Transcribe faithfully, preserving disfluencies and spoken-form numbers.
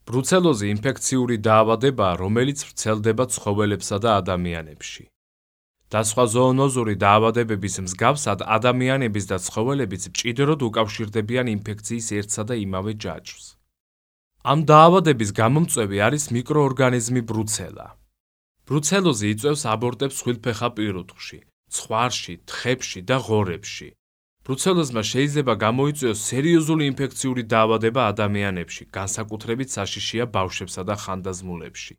ბრუცელოზი ინფექციური დაავადებაა, რომელიც ვრცელდება ცხოველებსა და ადამიანებში. და სხვა ზოონოზური დაავადებების მსგავსად, ადამიანების და ცხოველებიც მჭიდროდ უკავშირდებიან ინფექციის ერთსა და იმავე ჯაჭვს. ამ დაავადების გამომწვევი არის მიკროორგანიზმი ბრუცელა. ბრუცელოზი იწვევს აბორტებს ხვილფეხა პირუტყვში, ცხვარში, თხებში და ღორებში. ბრუცელოზმა შეიძლება გამოიწვიოს სერიოზული ინფექციური დაავადება ადამიანებში, განსაკუთრებით საშიშია ბავშვებსა და ხანდაზმულებში.